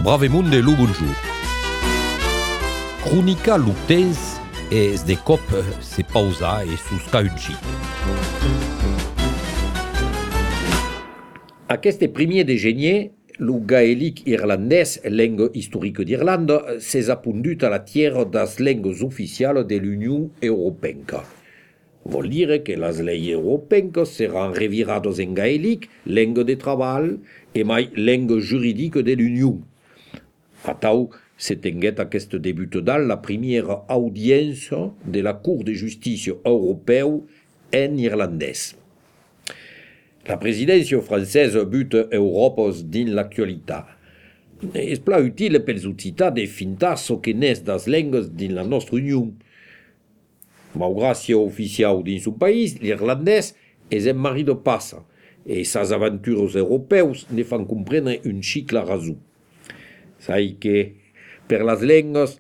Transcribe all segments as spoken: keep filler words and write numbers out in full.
Bravemunde lo bonjour. Cronica lo temps es de cop se pausa e susca un xic. Aquest primer de gener, lo gaèlic irlandès, lenga historique d'Irlanda, s'es apondut a la tierra das lengues oficiales de l'Union Européenca. Vol dire que les lleis européenques seran revirades en gaèlic, lenga de treball, e mai lenga juridique de l'Union. Atau se tenguet aquest debut dans la première audience de la Cour de justícia europeu en irlandès. La presidència francesa but Europes dins l'actualitat. És pla utile pels occitans de fintar ce que n'és das lengues dins la nostra Unió. Malgrat ser oficial dins un país, l'irlandès és en mari de passa, e sas aventures europeus ne fan comprendre un cicle raso. Sai que, per las lengues,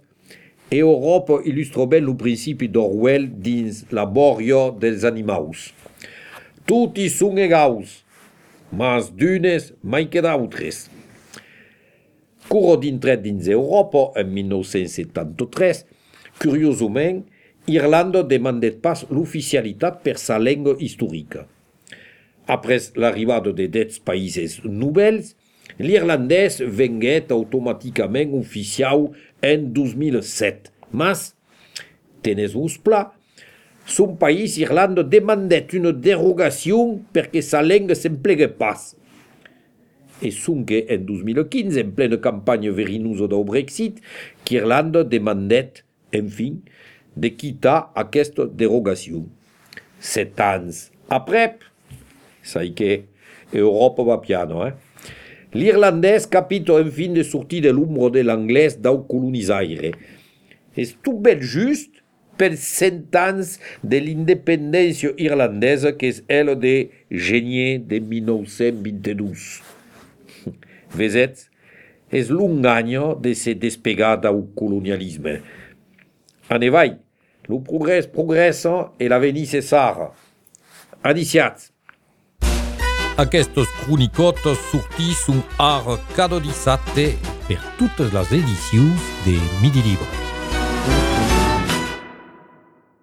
Europa il·lustra ben lo principi d'Orwell dins la bòria dels animaus. Tutti són egals, mas d'unes mai que d'autres. Curo d'intret dins Europa, en mil nou-cents setanta-tres, curiosament, Irlanda demandet pas l'oficialitat per sa lenga historica. Après l'arribada de dets països nouvels, l'irlandès venguet automàticament oficial en dos mil set. Mas, tenez-vos pla, son país, Irlanda, demandet una derogació perquè sa lenga s'emplegue pas. E sonque en dos mil quinze, en plena campanya verinosa del Brexit, qu'Irlanda demandet, en fin, de quitar aquesta derogació. Set anys aprèp, sai que Europa va piano, eh? L'irlandès capita en fin de sortir de l'ombra de l'anglès del colonisaire. És tot ben just per cent anys de l'independència irlandesa que és el de gener de mil nou-cents vint-i-dos. Vesets, és long any de se despegar del colonialisme. En evai, el progrés progressa e l'avenir cessara. Adiciats. Aquestes cronicotes sortisson ara cada dissabte per totes les edicions de Midi Libre.